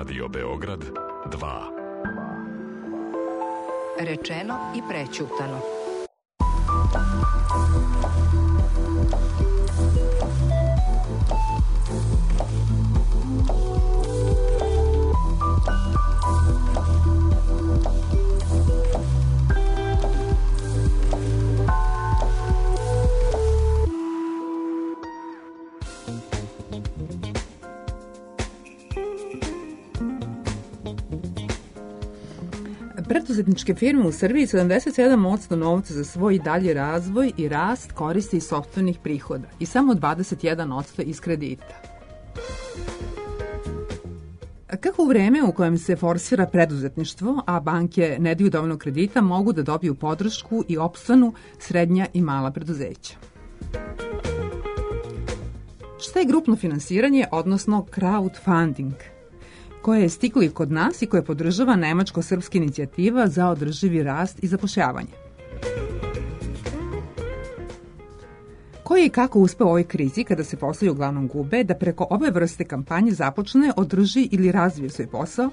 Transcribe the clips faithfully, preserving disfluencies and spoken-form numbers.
Radio Beograd dva. Rečeno i prećutano. Preduzetničke firme u Srbiji sedamdeset sedam posto novca za svoj dalji razvoj i rast koristi iz sopstvenih prihoda i samo dvadeset jedan posto iz kredita. Kako u vreme u kojem se forsira preduzetništvo, a banke ne daju dovoljno kredita, mogu da dobiju podršku i opstanu srednja i mala preduzeća? Šta je grupno finansiranje, odnosno crowdfunding, koje je stiglo i kod nas i koje podržava nemačko-srpska inicijativa za održivi rast i zapošljavanje? Ko je i kako uspeo u ovoj krizi, kada se poslovi uglavnom gube, da preko ove vrste kampanje započne, održi ili razvije svoj posao?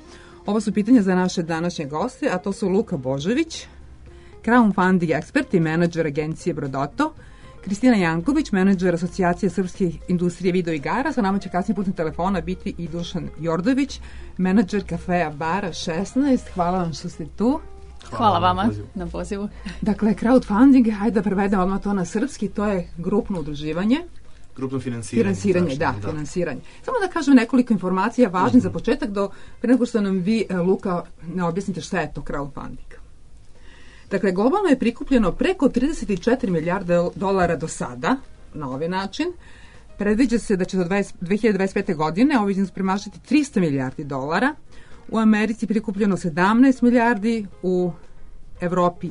Ovo su pitanja za naše današnje goste, a to su Luka Božović, crowdfunding ekspert i menadžer agencije Brodoto, Kristina Janković, menadžer Asocijacije srpske industrije video igara, sa nama će kasnije putem telefona biti i Dušan Jordović, menadžer kafeja bara šesnaest. Hvala vam što ste tu. Hvala, Hvala vama na pozivu. na pozivu. Dakle, crowdfunding, hajde da prevedemo odmah to na srpski, to je grupno udruživanje. Grupno finansiranje. Finansiranje, da, da, finansiranje. Samo da kažem nekoliko informacija važnih uh-huh. za početak, do pre nego što nam vi, Luka, ne objasnite šta je to crowdfunding. Dakle, globalno je prikupljeno preko trideset četiri milijarde dolara do sada, na ovaj način. Predviđa se da će do dve hiljade dvadeset pete. godine ovaj iznos premašiti trista milijardi dolara. U Americi prikupljeno sedamnaest milijardi, u Evropi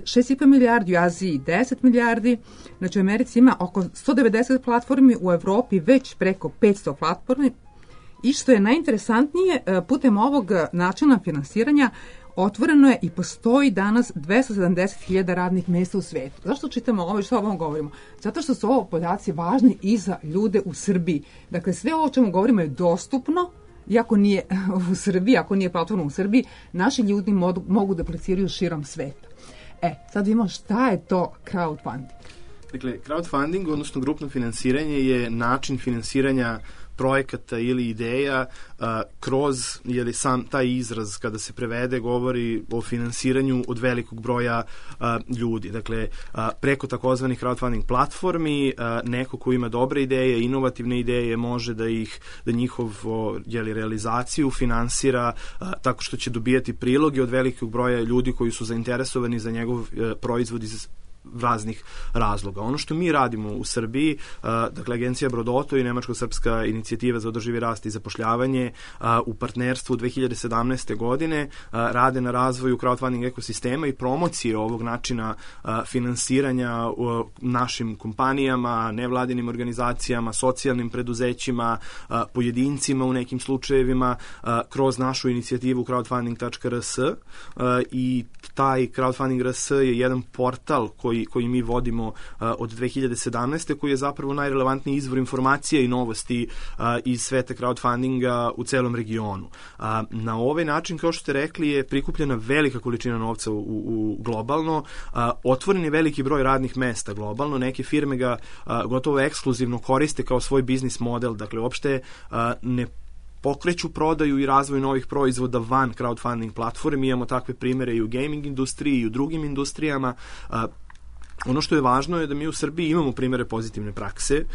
šest i po milijardi, u Aziji deset milijardi. Znači, u Americi ima oko sto devedeset platformi, u Evropi već preko petsto platformi. I što je najinteresantnije, putem ovog načina finansiranja otvoreno je i postoji danas dvesta sedamdeset hiljada radnih mesta u svetu. Zašto čitamo ovo i što o ovom govorimo? Zato što su ovo podaci važni i za ljude u Srbiji. Dakle, sve ovo o čemu govorimo je dostupno, iako nije u Srbiji, ako nije platforma u Srbiji, naši ljudi modu, mogu da apliciraju širom sveta. E, sad vidimo šta je to crowdfunding. Dakle, crowdfunding, odnosno grupno finansiranje, je način finansiranja projekata ili ideja uh, kroz, jer sam taj izraz kada se prevede govori o finansiranju od velikog broja uh, ljudi. Dakle, uh, preko takozvanih crowdfunding platformi uh, neko ko ima dobre ideje, inovativne ideje, može da ih, da njihovo jeli, realizaciju finansira uh, tako što će dobijati priloge od velikog broja ljudi koji su zainteresovani za njegov uh, proizvod iz raznih razloga. Ono što mi radimo u Srbiji, uh, dakle agencija Brodoto i nemačko-srpska inicijativa za održivi rast i zapošljavanje uh, u partnerstvu dve hiljade sedamnaeste. godine uh, rade na razvoju crowdfunding ekosistema i promocije ovog načina uh, finansiranja uh, našim kompanijama, nevladinim organizacijama, socijalnim preduzećima, uh, pojedincima u nekim slučajevima uh, kroz našu inicijativu crowdfunding tačka r s uh, i taj crowdfunding tačka r s je jedan portal koji Koji, koji mi vodimo uh, od dve hiljade sedamnaeste. koji je zapravo najrelevantniji izvor informacije i novosti uh, iz sveta crowdfundinga u celom regionu. Uh, na ovaj način, kao što ste rekli, je prikupljena velika količina novca u, u globalno, uh, otvoren je veliki broj radnih mesta globalno, neke firme ga uh, gotovo ekskluzivno koriste kao svoj biznis model, dakle uopšte uh, ne pokreću prodaju i razvoj novih proizvoda van crowdfunding platforme. Imamo takve primere i u gaming industriji i u drugim industrijama. Uh, Ono što je važno je da mi u Srbiji imamo primere pozitivne prakse,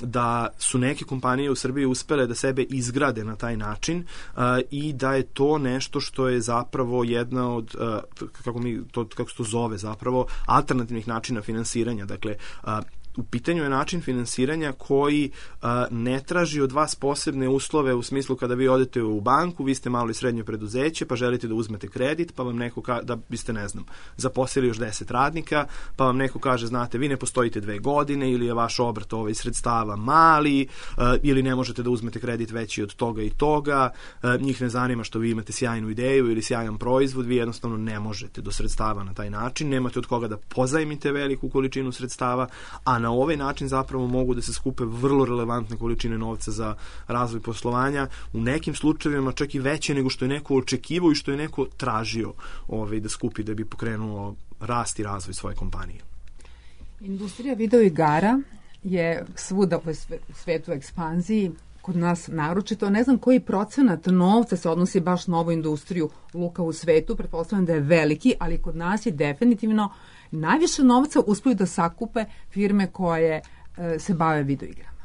da su neke kompanije u Srbiji uspele da sebe izgrade na taj način i da je to nešto što je zapravo jedna od, kako, mi, to, kako se to zove zapravo, alternativnih načina finansiranja. Dakle, u pitanju je način finansiranja koji uh, ne traži od vas posebne uslove u smislu kada vi odete u banku, vi ste malo i srednje preduzeće, pa želite da uzmete kredit, pa vam neko ka, da biste, ne znam, zaposlili još deset radnika, pa vam neko kaže, znate, vi ne postojite dve godine ili je vaš obrt ovaj sredstava mali uh, ili ne možete da uzmete kredit veći od toga i toga, uh, njih ne zanima što vi imate sjajnu ideju ili sjajan proizvod, vi jednostavno ne možete do sredstava na taj način, nemate od koga da pozajmite veliku količinu sredstava, a na ovaj način zapravo mogu da se skupe vrlo relevantne količine novca za razvoj poslovanja, u nekim slučajevima čak i veće nego što je neko očekivao i što je neko tražio ovaj, da skupi da bi pokrenuo rast i razvoj svoje kompanije. Industrija video igara je svuda u svetu ekspanziji, kod nas naročito. Ne znam koji procenat novca se odnosi baš na ovu industriju, Luka, u svetu, pretpostavljam da je veliki, ali kod nas je definitivno najviše novca uspiju da sakupe firme koje e, se bave video igrama.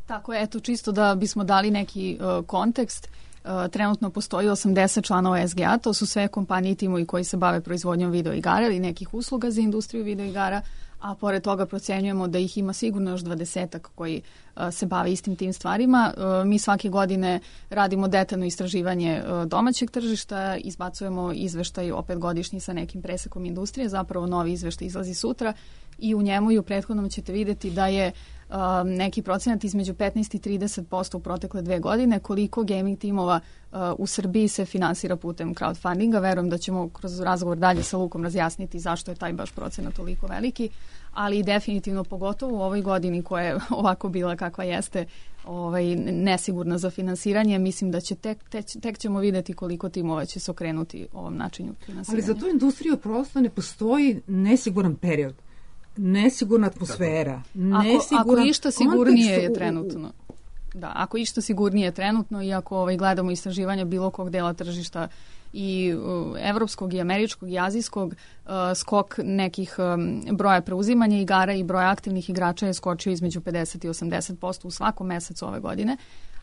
Tako je, eto, čisto da bismo dali neki uh, kontekst. Uh, trenutno postoji osamdeset članova S G A, to su sve kompanije i timovi koji se bave proizvodnjom video igara ili nekih usluga za industriju video igara, a pored toga procenjujemo da ih ima sigurno još dvadesetak koji uh, se bave istim tim stvarima. Uh, mi svake godine radimo detaljno istraživanje uh, domaćeg tržišta, izbacujemo izveštaj opet godišnji sa nekim presekom industrije, zapravo novi izveštaj izlazi sutra i u njemu i u prethodnom ćete vidjeti da je uh, neki procenat između petnaest i trideset posto u protekle dve godine koliko gaming timova uh, u Srbiji se finansira putem crowdfundinga. Verujem da ćemo kroz razgovor dalje sa Lukom razjasniti zašto je taj baš procenat toliko veliki, ali definitivno pogotovo u ovoj godini koja je ovako bila kakva jeste, ovaj, nesigurna za finansiranje, mislim da će tek, tek, tek ćemo vidjeti koliko timova će se okrenuti ovom načinu finansiranja. Ali za tu industriju prosto ne postoji nesiguran period, nesigurna atmosfera, nesiguran ako, ako išta sigurnije je trenutno. Da, ako išta sigurnije je trenutno i ako ovaj, gledamo istraživanja bilo kog dela tržišta i uh, evropskog i američkog i azijskog, uh, skok nekih um, broja preuzimanja igara i broja aktivnih igrača je skočio između pedeset i osamdeset posto u svakom mesecu ove godine,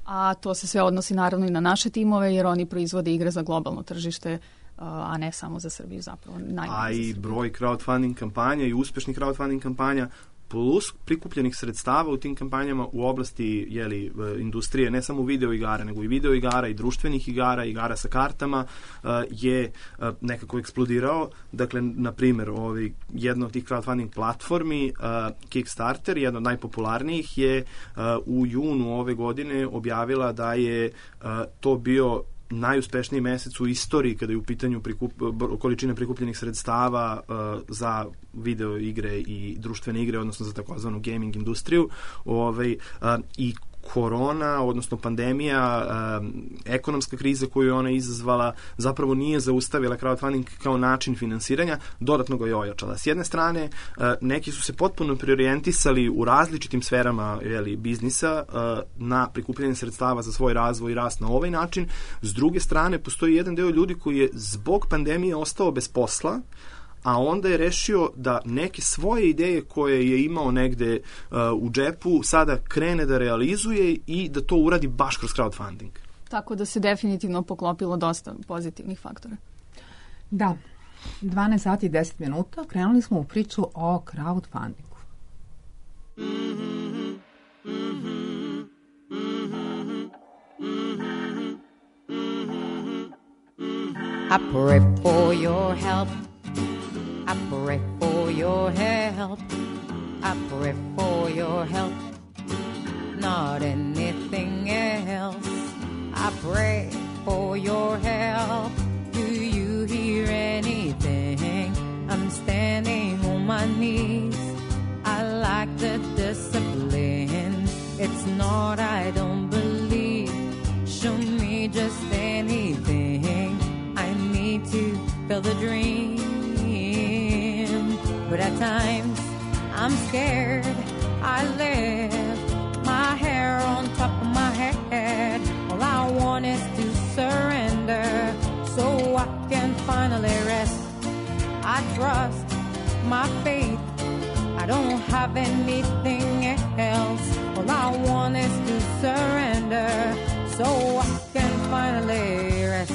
a to se sve odnosi naravno i na naše timove jer oni proizvode igre za globalno tržište, a ne samo za Srbiju zapravo. A i broj crowdfunding kampanja i uspešnih crowdfunding kampanja plus prikupljenih sredstava u tim kampanjama u oblasti jeli, industrije, ne samo video igara, nego i video igara i društvenih igara, igara sa kartama, je nekako eksplodirao. Dakle, na primjer, ovaj, jedna od tih crowdfunding platformi, Kickstarter, jedna od najpopularnijih, je u junu ove godine objavila da je to bio najuspešniji mesec u istoriji kada je u pitanju prikup, količine prikupljenih sredstava uh, za video igre i društvene igre, odnosno za takozvanu gaming industriju. Ovaj, uh, i korona, odnosno pandemija, um, ekonomska kriza koju je ona izazvala, zapravo nije zaustavila crowdfunding kao način finansiranja, dodatno ga je ojačala. S jedne strane, uh, neki su se potpuno preorijentisali u različitim sferama jeli, biznisa uh, na prikupljanje sredstava za svoj razvoj i rast na ovaj način. S druge strane, postoji jedan deo ljudi koji je zbog pandemije ostao bez posla, a onda je rešio da neke svoje ideje koje je imao negde uh, u džepu sada krene da realizuje i da to uradi baš kroz crowdfunding. Tako da se definitivno poklopilo dosta pozitivnih faktora. Da, dvanaest sati i deset minuta krenuli smo u priču o crowdfundingu. Mm-hmm, mm-hmm, mm-hmm, mm-hmm, mm-hmm. I pray for your help. I pray for your help. I pray for your help. Not anything else. I pray for your help. Do you hear anything? I'm standing on my knees. I like the discipline. It's not I don't believe. Show me just anything. I need to feel the dream. But at times, I'm scared. I lift my hair on top of my head. All I want is to surrender so I can finally rest. I trust my faith. I don't have anything else. All I want is to surrender so I can finally rest.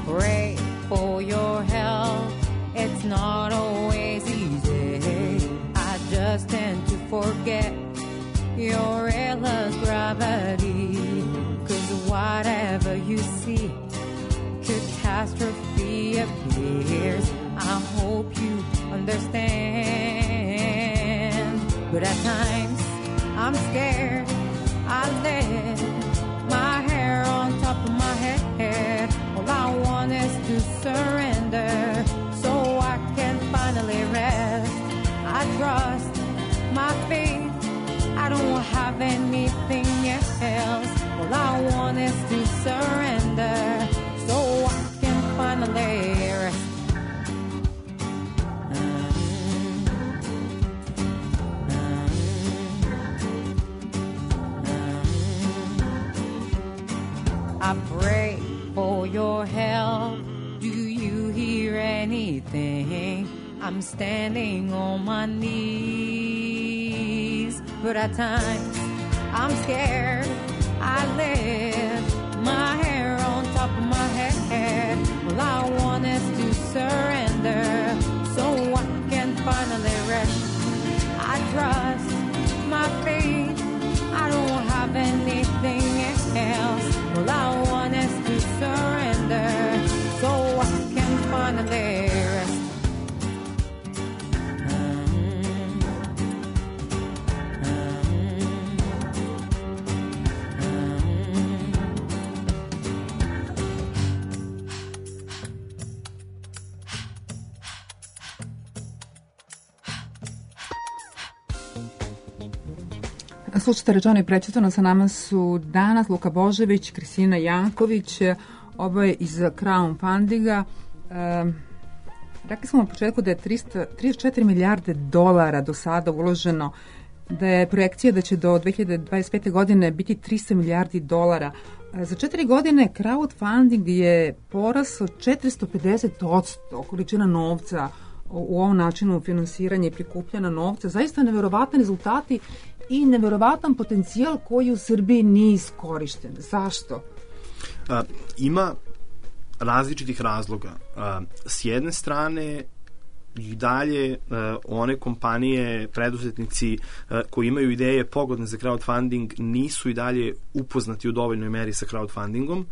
Pray for your help. It's not always easy. I just tend to forget your endless gravity. Cause whatever you see, catastrophe appears. I hope you understand. But at times, I'm scared. I let my my faith. I don't have anything else. All I want is to surrender so I can finally rest. I pray for your help. Do you hear anything? I'm standing on my knees, but at times I'm scared. I lift my hair on top of my head. All I want is to surrender so I can finally rest. I trust my faith. I don't have anything else. All I want is to surrender so I can finally rest. Slušajte, rečeno i prečitano, sa nama su danas Luka Božević, Kristina Janković, oboje iz crowdfundinga. E, rekli smo na početku da je trista trideset četiri milijarde dolara do sada uloženo, da je projekcija da će do dve hiljade dvadeset pete. godine biti trista milijardi dolara. E, za četiri godine crowdfunding je porasao četiristo pedeset odsto količina novca u ovom načinu finansiranja i prikupljena novca. Zaista neverovatni rezultati i neverovatan potencijal koji u Srbiji nije iskorišten. Zašto? A, ima različitih razloga. A, s jedne strane i dalje uh, one kompanije, preduzetnici uh, koji imaju ideje pogodne za crowdfunding nisu i dalje upoznati u dovoljnoj meri sa crowdfundingom,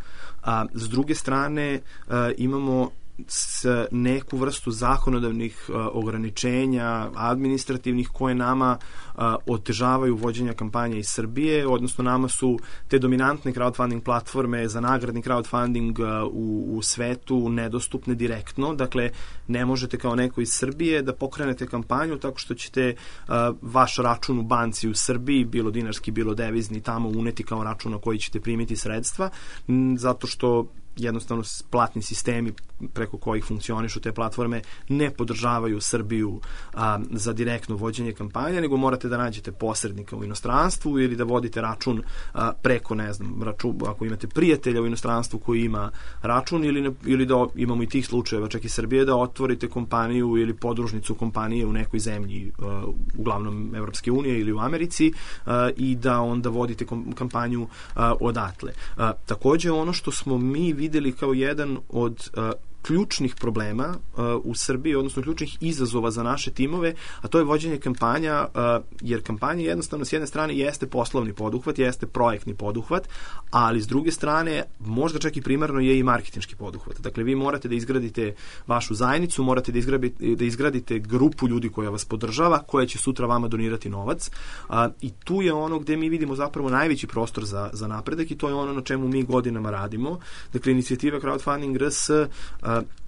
a s druge strane uh, imamo s neku vrstu zakonodavnih uh, ograničenja, administrativnih, koje nama uh, otežavaju vođenja kampanja iz Srbije, odnosno nama su te dominantne crowdfunding platforme za nagradni crowdfunding uh, u, u svetu nedostupne direktno. Dakle, ne možete kao neko iz Srbije da pokrenete kampanju tako što ćete uh, vaš račun u banci u Srbiji, bilo dinarski, bilo devizni, tamo uneti kao račun na koji ćete primiti sredstva, m, zato što jednostavno platni sistemi preko kojih funkcionišu te platforme ne podržavaju Srbiju a, za direktno vođenje kampanje, nego morate da nađete posrednika u inostranstvu ili da vodite račun a, preko, ne znam, račun, ako imate prijatelja u inostranstvu koji ima račun, ili, ne, ili da imamo i tih slučajeva, čak i Srbije, da otvorite kompaniju ili podružnicu kompanije u nekoj zemlji, a, uglavnom Evropske unije ili u Americi, a, i da onda vodite kom, kampanju a, odatle. A, takođe, ono što smo mi videli kao jedan od uh, ključnih problema uh, u Srbiji, odnosno ključnih izazova za naše timove, a to je vođenje kampanja, uh, jer kampanja jednostavno s jedne strane jeste poslovni poduhvat, jeste projektni poduhvat, ali s druge strane možda čak i primarno je i marketinški poduhvat. Dakle, vi morate da izgradite vašu zajednicu, morate da izgradite, da izgradite grupu ljudi koja vas podržava, koja će sutra vama donirati novac, uh, i tu je ono gde mi vidimo zapravo najveći prostor za, za napredak, i to je ono na čemu mi godinama radimo. Dakle, inicijativa Crowdfunding R S uh,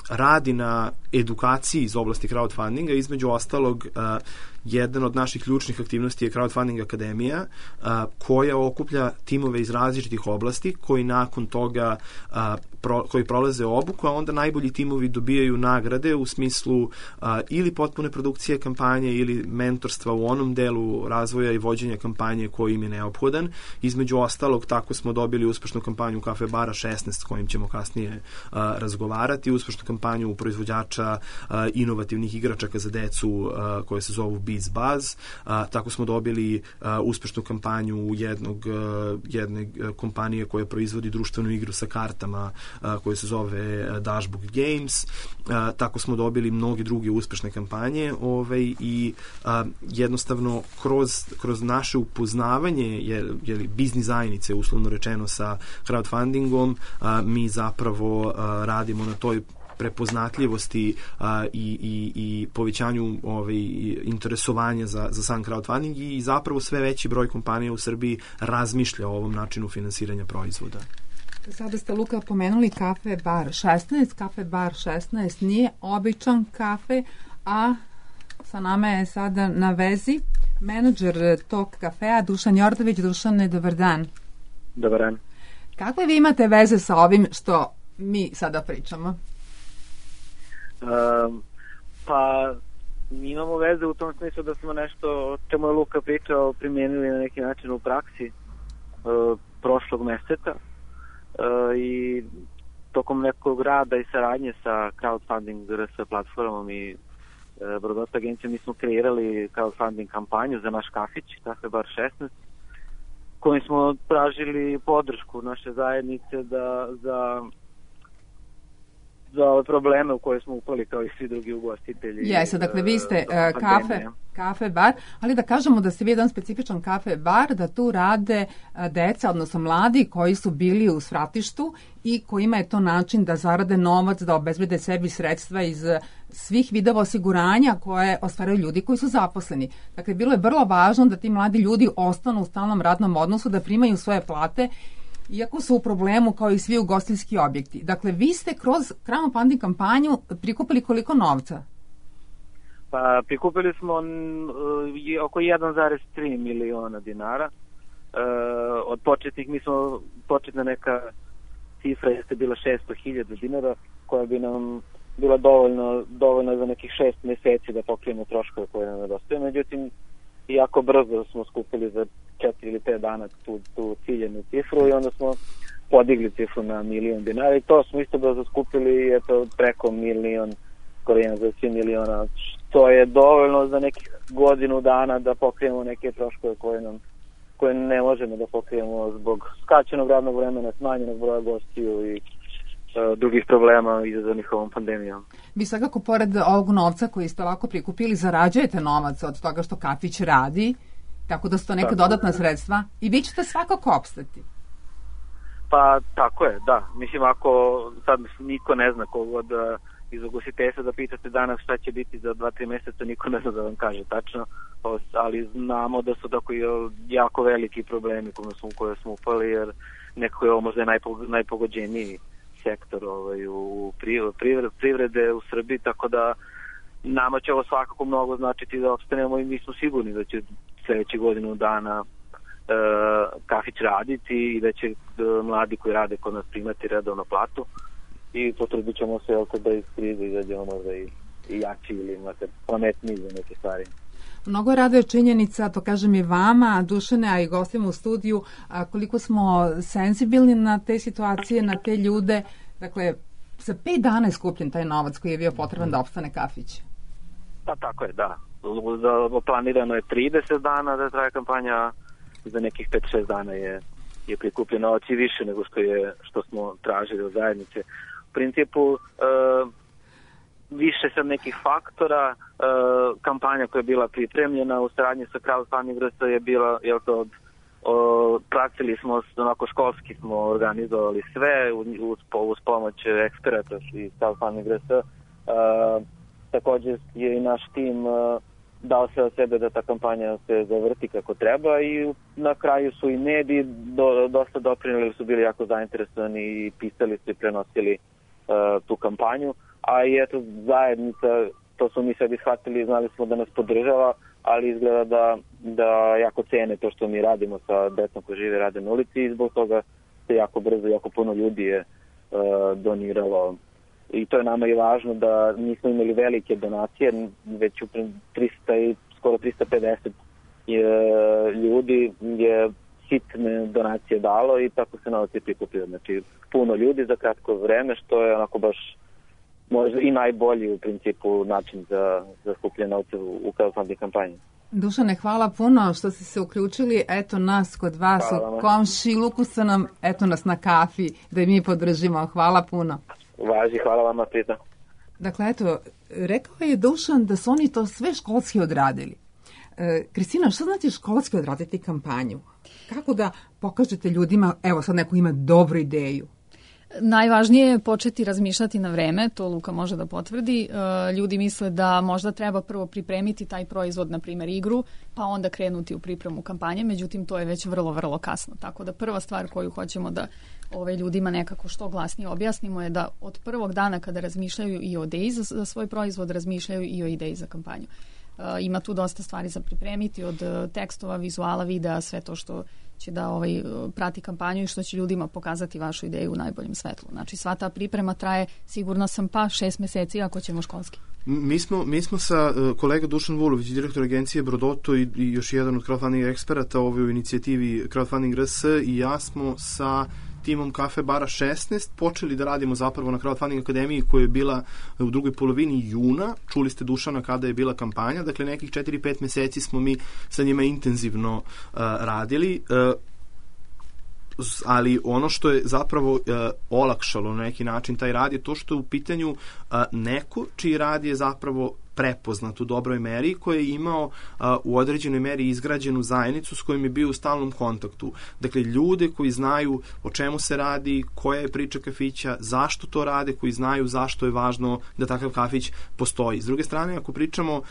radi na edukaciji iz oblasti crowdfundinga. Između ostalog, uh, jedan od naših ključnih aktivnosti je Crowdfunding Akademija, uh, koja okuplja timove iz različitih oblasti koji nakon toga uh, pro, koji prolaze obuku, a onda najbolji timovi dobijaju nagrade u smislu uh, ili potpune produkcije kampanje ili mentorstva u onom delu razvoja i vođenja kampanje koji im je neophodan. Između ostalog, tako smo dobili uspešnu kampanju Kafe Bara šesnaest, s kojim ćemo kasnije uh, razgovarati, uspešnu kampanju proizvođača uh, inovativnih igračaka za decu uh, koje se zovu Biz Buzz. A, tako smo dobili a, uspešnu kampanju jednog, a, jedne kompanije koja proizvodi društvenu igru sa kartama a, koja se zove Dashbook Games. A, tako smo dobili mnogi druge uspešne kampanje, ovaj, i a, jednostavno kroz, kroz naše upoznavanje je, je li, biznis zajednice, uslovno rečeno, sa crowdfundingom, a, mi zapravo a, radimo na toj prepoznatljivosti a, i, i, i povećanju ovaj, interesovanja za, za sam crowdfunding, i zapravo sve veći broj kompanija u Srbiji razmišlja o ovom načinu finansiranja proizvoda. Sada ste, Luka, pomenuli Kafe Bar šesnaest. Kafe Bar šesnaest nije običan kafe, a sa nama je sada na vezi menadžer tog kafea, Dušan Jordović. Dušane, dobar dan. Dobar dan. Kakve vi imate veze sa ovim što mi sada pričamo? Um, pa mi imamo veze u tom smislu da smo nešto o čemu je Luka pričao primijenili na neki način u praksi uh, prošlog meseca uh, i tokom nekog rada i saradnje sa crowdfunding R S platformom i uh, Brodota agencijom mi smo kreirali crowdfunding kampanju za naš kafić, Kafe Bar šesnaest, kojim smo tražili podršku naše zajednice da za za ove probleme u koje smo upali kao i svi drugi ugostitelji. Jeste, dakle vi ste uh, kafe, kafe bar, ali da kažemo da ste vi jedan specifičan kafe bar, da tu rade uh, deca, odnosno mladi koji su bili u svratištu i kojima je to način da zarade novac, da obezbede sebi sredstva iz svih vidova osiguranja koje ostvaraju ljudi koji su zaposleni. Dakle, bilo je vrlo važno da ti mladi ljudi ostanu u stalnom radnom odnosu, da primaju svoje plate, iako su u problemu kao i svi ugostiteljski objekti. Dakle, vi ste kroz crowdfunding kampanju prikupili koliko novca? Pa, prikupili smo uh, oko jedan zarez tri miliona dinara. Uh, od početnih, mi smo, početna neka cifra jeste bila šesto hiljada dinara, koja bi nam bila dovoljno, dovoljno za nekih šest meseci da pokrijemo troškove koje nam nedostaje. Međutim, jako brzo smo skupili za četiri ili pet dana tu, tu ciljenu cifru i onda smo podigli cifru na milion dinara i to smo isto brzo skupili eto, preko milion, skoro jedan za svi miliona, što je dovoljno za nekih godinu dana da pokrijemo neke troškove koje nam koje ne možemo da pokrijemo zbog skačenog radnog vremena, smanjenog broja gostiju i uh, drugih problema izazvanih ovom pandemijom. Vi svakako pored ovog novca koji ste ovako prikupili zarađujete novac od toga što kafić radi, tako da su to neka tako, dodatna sredstva i vi ćete svakako opstati. Pa tako je, da. Mislim, ako sad niko ne zna kogod iz ugostiteljstva da pitate danas šta će biti za dva tri mjeseca, niko ne zna da vam kaže tačno, ali znamo da su tako jako veliki problemi koje smo, koje smo upali, jer nekako je ovo možda najpogođeniji sektor ovaj, u privrede u Srbiji, tako da nama će ovo svakako mnogo značiti da opstanemo i mi smo sigurni da će sljedeće godinu dana e, kafić raditi i da će e, mladi koji rade kod nas primati redovno platu i potrudit ćemo se da iz krize izađemo možda i, i jači ili makar pametniji za neke stvari. Mnogo rade činjenica, to kažem i vama, Dušane, a i gostima u studiju, a koliko smo senzibilni na te situacije, na te ljude. Dakle, za pet dana je skupljen taj novac koji je bio potreban da opstane kafić. Pa tako je, da. Planirano je trideset dana da traje kampanja, za nekih pet šest dana je, je prikupljeno novac i više nego što je što smo tražili od zajednice. U principu, e, više sad nekih faktora, e, kampanja koja je bila pripremljena u saradnji sa crowdfunding R S je bila, jel to, o, pratili smo, onako školski smo organizovali sve uz, uz pomoć eksperata i crowdfunding R S. E, također je i naš tim e, dao se od sebe da ta kampanja se zavrti kako treba i na kraju su i mediji do, dosta doprinili, su bili jako zainteresovani i pisali su i prenosili uh, tu kampanju, a i eto zajednica, to su mi sebi shvatili, znali smo da nas podržava, ali izgleda da, da jako cene to što mi radimo sa decom koji žive rade na ulici i zbog toga se jako brzo, jako puno ljudi je uh, doniralo. I to je nama i važno da nismo imali velike donacije, već u trista i skoro trista pedeset je, ljudi je sitne donacije dalo i tako se novac je prikupio. Znači puno ljudi za kratko vreme, što je onako baš možda i najbolji u principu način za, za skupljanje novca u, u crowdfunding kampanji. Dušane, hvala puno što ste se uključili. Eto nas kod vas hvala u komšiluku sa nam, eto nas na kafi da mi podržimo. Hvala puno. Važi, hvala vama, pritom. Dakle, eto, rekao je Dušan da su oni to sve školski odradili. E, Kristina, što znači školski odraditi kampanju? Kako da pokažete ljudima, evo sad neko ima dobru ideju? Najvažnije je početi razmišljati na vreme, to Luka može da potvrdi. E, ljudi misle da možda treba prvo pripremiti taj proizvod, na primjer igru, pa onda krenuti u pripremu kampanje, međutim to je već vrlo, vrlo kasno. Tako da prva stvar koju hoćemo da ove ljudima nekako što glasnije objasnimo je da od prvog dana kada razmišljaju i o ideji za, za svoj proizvod, razmišljaju i o ideji za kampanju. ima tu dosta stvari za pripremiti, od tekstova, vizuala, videa, sve to što će da ovaj, prati kampanju i što će ljudima pokazati vašu ideju u najboljem svetlu. Znači sva ta priprema traje, sigurno sam, pa šest meseci ako ćemo školski. Mi smo, mi smo sa uh, kolega Dušan Vulović, direktor agencije Brodoto i, i još jedan od crowdfunding eksperata u inicijativi Crowdfunding R S i ja smo sa timom Kafe Bara šesnaest počeli da radimo zapravo na Crowdfunding akademiji koja je bila u drugoj polovini juna. Čuli ste Dušana kada je bila kampanja, dakle nekih četiri pet meseci smo mi sa njima intenzivno uh, radili. Uh, ali ono što je zapravo uh, olakšalo na neki način taj rad je to što je u pitanju uh, neko čiji rad je zapravo prepoznat u dobroj meri, koji je imao uh, u određenoj meri izgrađenu zajednicu s kojim je bio u stalnom kontaktu. Dakle, ljude koji znaju o čemu se radi, koja je priča kafića, zašto to rade, koji znaju zašto je važno da takav kafić postoji. S druge strane, ako pričamo uh,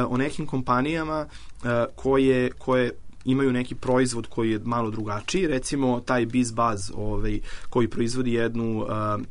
o nekim kompanijama uh, koje, koje imaju neki proizvod koji je malo drugačiji, recimo taj Biz Buzz ovaj, koji proizvodi jednu uh,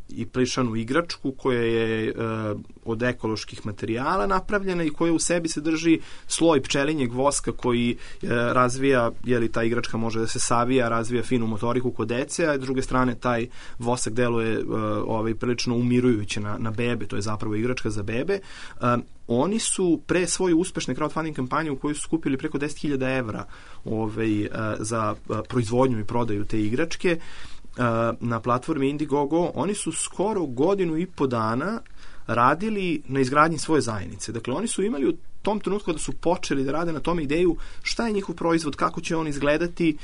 i plišanu igračku koja je uh, od ekoloških materijala napravljena i koja u sebi sadrži sloj pčelinjeg voska koji uh, razvija, jeli ta igračka može da se savija, razvija finu motoriku kod dece, a s druge strane taj vosak deluje uh, ovaj, prilično umirujuće na, na bebe, to je zapravo igračka za bebe. Uh, Oni su pre svoje uspešne crowdfunding kampanje u kojoj su skupili preko deset hiljada evra ovaj, za proizvodnju i prodaju te igračke na platformi Indiegogo, oni su skoro godinu i po dana radili na izgradnji svoje zajednice. Dakle, oni su imali u tom trenutku da su počeli da rade na tome ideju šta je njihov proizvod, kako će on izgledati,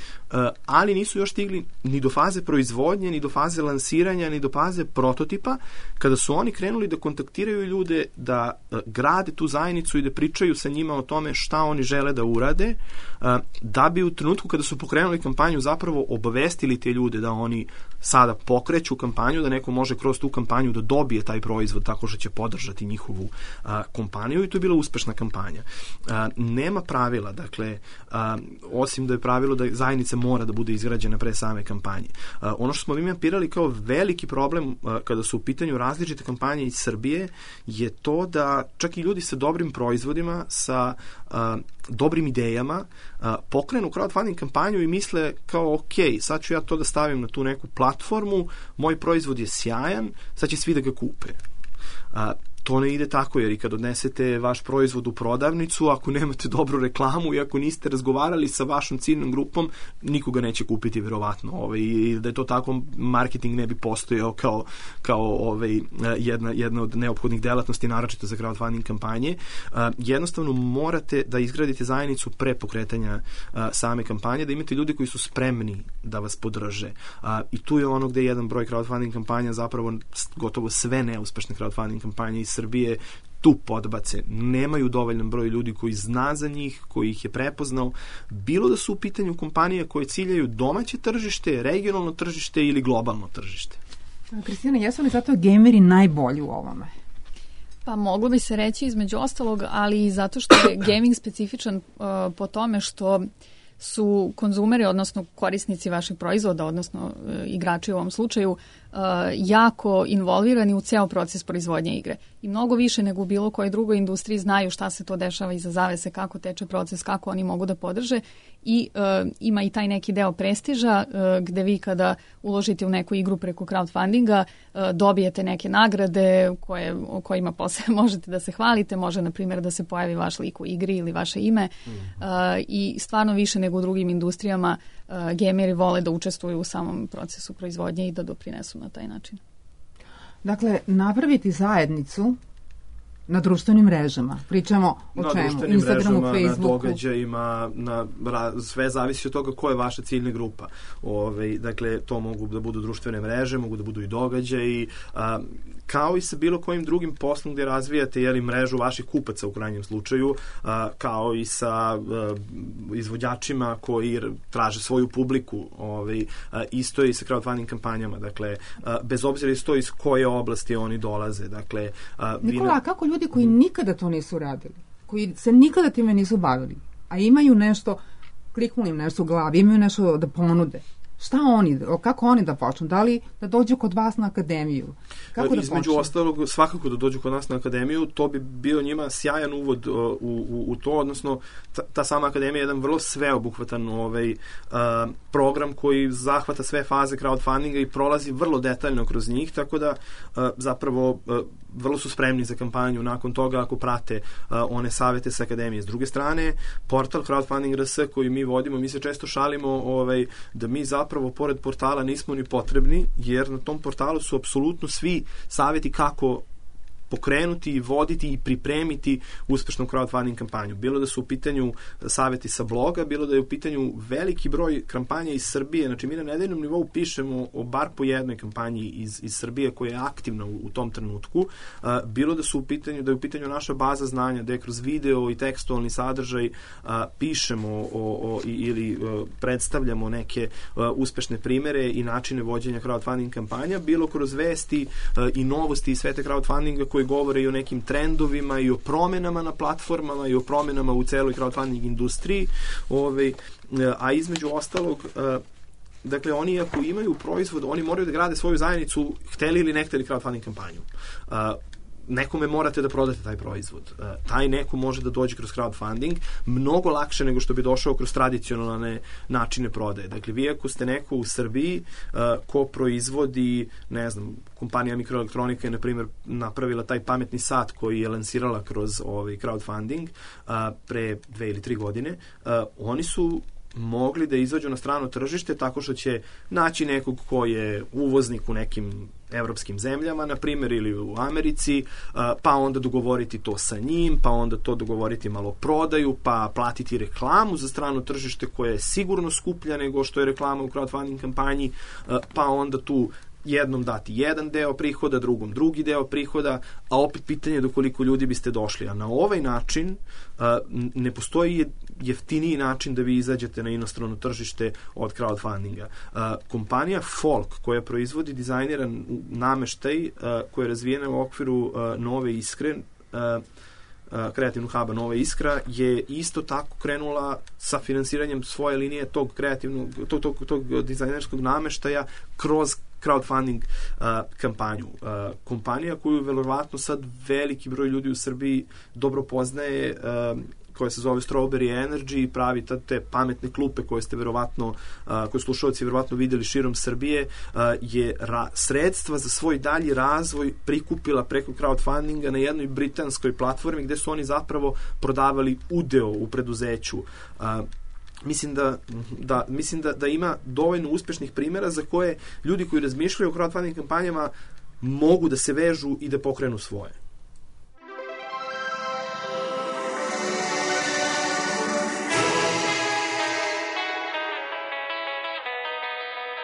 ali nisu još stigli ni do faze proizvodnje, ni do faze lansiranja, ni do faze prototipa, kada su oni krenuli da kontaktiraju ljude, da grade tu zajednicu i da pričaju sa njima o tome šta oni žele da urade, da bi u trenutku kada su pokrenuli kampanju zapravo obavestili te ljude da oni sada pokreću kampanju, da neko može kroz tu kampanju da dobije taj proizvod tako što će podržati njihovu a, kompaniju i to je bila uspešna kampanja. A, nema pravila, dakle, a, osim da je pravilo da zajednica mora da bude izgrađena pre same kampanje. A, ono što smo mi mapirali kao veliki problem a, kada su u pitanju različite kampanje iz Srbije je to da čak i ljudi sa dobrim proizvodima, sa a, dobrim idejama, a, pokrenu crowdfunding kampanju i misle kao ok, sad ću ja to da stavim na tu neku platformu, moj proizvod je sjajan, sad će svi da ga kupe. A, to ne ide tako, jer i kad odnesete vaš proizvod u prodavnicu, ako nemate dobru reklamu i ako niste razgovarali sa vašom ciljnom grupom, nikoga neće kupiti verovatno. Ovaj, i da je to tako, marketing ne bi postojao kao, kao ovaj, jedna, jedna od neophodnih delatnosti, naročito za crowdfunding kampanje. A, jednostavno morate da izgradite zajednicu pre pokretanja a, same kampanje, da imate ljudi koji su spremni da vas podrže. A, I tu je ono gde je jedan broj crowdfunding kampanja, zapravo gotovo sve neuspešne crowdfunding kampanje iz Srbije tu podbace. Nemaju dovoljan broj ljudi koji zna za njih, koji ih je prepoznao, bilo da su u pitanju kompanije koje ciljaju domaće tržište, regionalno tržište ili globalno tržište. Kristina, jesu li zato gameri najbolji u ovome? Pa moglo bi se reći između ostalog, ali i zato što je gaming specifičan uh, po tome što su konzumeri, odnosno korisnici vašeg proizvoda, odnosno uh, igrači u ovom slučaju, uh, jako involvirani u ceo proces proizvodnje igre. I mnogo više nego u bilo kojoj drugoj industriji znaju šta se to dešava iza zavese, kako teče proces, kako oni mogu da podrže. I uh, ima i taj neki deo prestiža uh, gde vi kada uložite u neku igru preko crowdfundinga uh, dobijete neke nagrade koje, o kojima posle možete da se hvalite, može na primjer da se pojavi vaš lik u igri ili vaše ime uh, i stvarno više nego u drugim industrijama uh, gameri vole da učestvuju u samom procesu proizvodnje i da doprinesu na taj način. Dakle, napraviti zajednicu na društvenim mrežama. Pričamo o na čemu? Instagramu, mrežama, Facebooku. Na događajima, na, sve zavisi od toga ko je vaša ciljna grupa. Ove, dakle, to mogu da budu društvene mreže, mogu da budu i događaji, a, kao i sa bilo kojim drugim poslom gde razvijate jeli, mrežu vaših kupaca u krajnjem slučaju, a, kao i sa a, izvođačima koji traže svoju publiku. Ove, a, isto je i sa crowdfunding kampanjama. Dakle, a, bez obzira isto iz koje oblasti oni dolaze. Dakle, a, Nikola, a kako ljudi koji nikada to nisu radili, koji se nikada time nisu bavili, a imaju nešto, kliknuli im nešto u glavi, imaju nešto da ponude, Šta oni, kako oni da počnu? Da li da dođu kod vas na akademiju? Kako da Između počnu? ostalog, svakako da dođu kod nas na akademiju, to bi bio njima sjajan uvod uh, u, u, u to, odnosno ta, ta sama akademija je jedan vrlo sveobuhvatan ovaj, uh, program koji zahvata sve faze crowdfundinga i prolazi vrlo detaljno kroz njih, tako da uh, zapravo uh, vrlo su spremni za kampanju nakon toga ako prate uh, one savete sa akademije. S druge strane, portal Crowdfunding R S koji mi vodimo, mi se često šalimo ovaj, da mi zapravo pored portala nismo ni potrebni, jer na tom portalu su apsolutno svi saveti kako pokrenuti i voditi i pripremiti uspešnu crowdfunding kampanju. Bilo da su u pitanju saveti sa bloga, bilo da je u pitanju veliki broj kampanja iz Srbije. Znači, mi na nedeljnom nivou pišemo o bar po jednoj kampanji iz, iz Srbije koja je aktivna u, u tom trenutku. Uh, bilo da su u pitanju, da je u pitanju naša baza znanja, da je kroz video i tekstualni sadržaj uh, pišemo o, o, ili uh, predstavljamo neke uh, uspešne primere i načine vođenja crowdfunding kampanja, bilo kroz vesti uh, i novosti iz sveta crowdfundinga koji govore i o nekim trendovima i o promenama na platformama i o promenama u celoj crowdfunding industriji, ovaj, a između ostalog, dakle, oni ako imaju proizvod, oni moraju da grade svoju zajednicu, hteli ili ne hteli crowdfunding kampanju. Nekome morate da prodate taj proizvod. Taj neko može da dođe kroz crowdfunding mnogo lakše nego što bi došao kroz tradicionalne načine prodaje. Dakle, vi ako ste neko u Srbiji ko proizvodi, ne znam, kompanija Mikroelektronika je, na primjer, napravila taj pametni sat koji je lansirala kroz ovaj crowdfunding pre dve ili tri godine, oni su mogli da izađu na strano tržište tako što će naći nekog ko je uvoznik u nekim evropskim zemljama, na primjer, ili u Americi, pa onda dogovoriti to sa njim, pa onda to dogovoriti malo prodaju, pa platiti reklamu za strano tržište koja je sigurno skuplja nego što je reklama u crowdfunding kampanji, pa onda tu jednom dati jedan deo prihoda, drugom drugi deo prihoda, a opet pitanje do koliko ljudi biste došli. A na ovaj način uh, ne postoji jeftiniji način da vi izađete na inostrano tržište od crowdfundinga. Uh, kompanija Folk, koja proizvodi dizajniran nameštaj, uh, koja je razvijena u okviru uh, Nove Iskre, uh, kreativnog huba Nova Iskra, je isto tako krenula sa finansiranjem svoje linije tog kreativnog, tog, tog, tog dizajnerskog nameštaja kroz crowdfunding uh, kampanju. Uh, kompanija koju verovatno sad veliki broj ljudi u Srbiji dobro poznaje, uh, koja se zove Strawberry Energy i pravi te pametne klupe koje ste verovatno, uh, koje slušalci verovatno videli širom Srbije, uh, je ra- sredstva za svoj dalji razvoj prikupila preko crowdfundinga na jednoj britanskoj platformi gde su oni zapravo prodavali udeo u preduzeću. Uh, Mislim da, da, mislim da, da ima dovoljno uspešnih primjera za koje ljudi koji razmišljaju o crowdfunding kampanjama mogu da se vežu i da pokrenu svoje.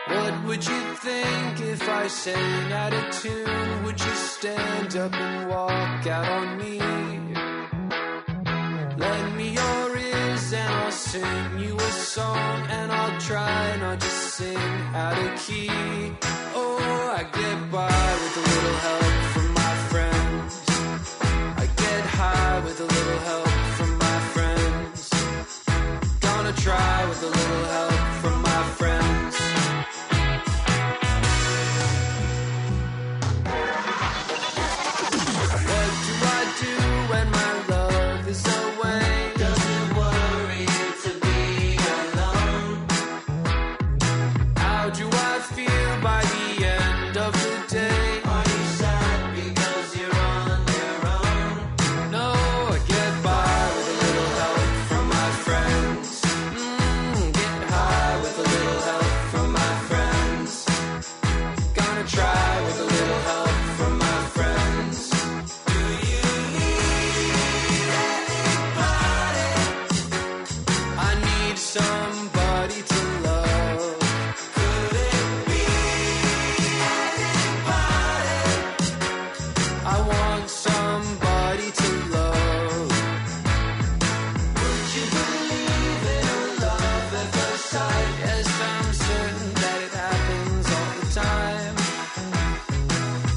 What would you think if I sang out of tune? Would you stand up and walk out on me? Lend me your ears and I'll sing you a song, and I'll try not to sing out of key. Oh, I get by with a little help from my friends. I get high with a little help from my friends. Gonna try with a little help from my friends. What do I do when my love is away? Doesn't worry to be alone. How do I feel by the end of the day? Are you sad because you're on your own? No, I get by with a little help from my friends. Mm, get high with a little help from my friends. Gonna try with a little help from my friends. Do you need anybody? I need somebody to love. Could it be anybody? I want somebody to love. Would you believe in a love at first sight? Yes, I'm certain that it happens all the time.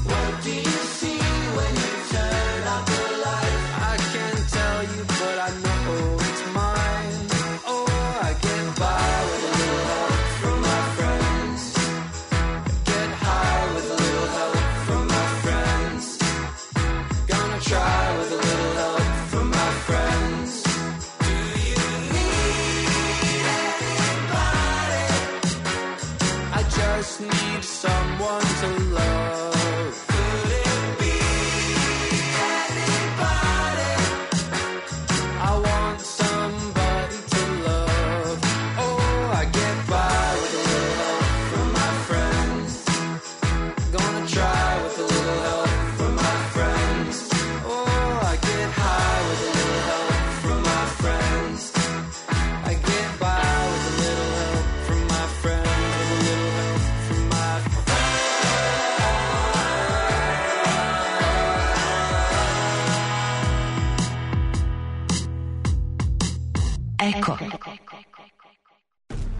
What do you see when you turn out the light? I can't tell you, but I know it's mine. Oh, I get by with a just need someone to love. Could it be anybody? I want somebody to love. Oh, I get by with a little help from my friends. Gonna try with a little help from my friends. Oh, I get high with a little help from my friends. I get by with a little help from my friends. With a little help from my Eko.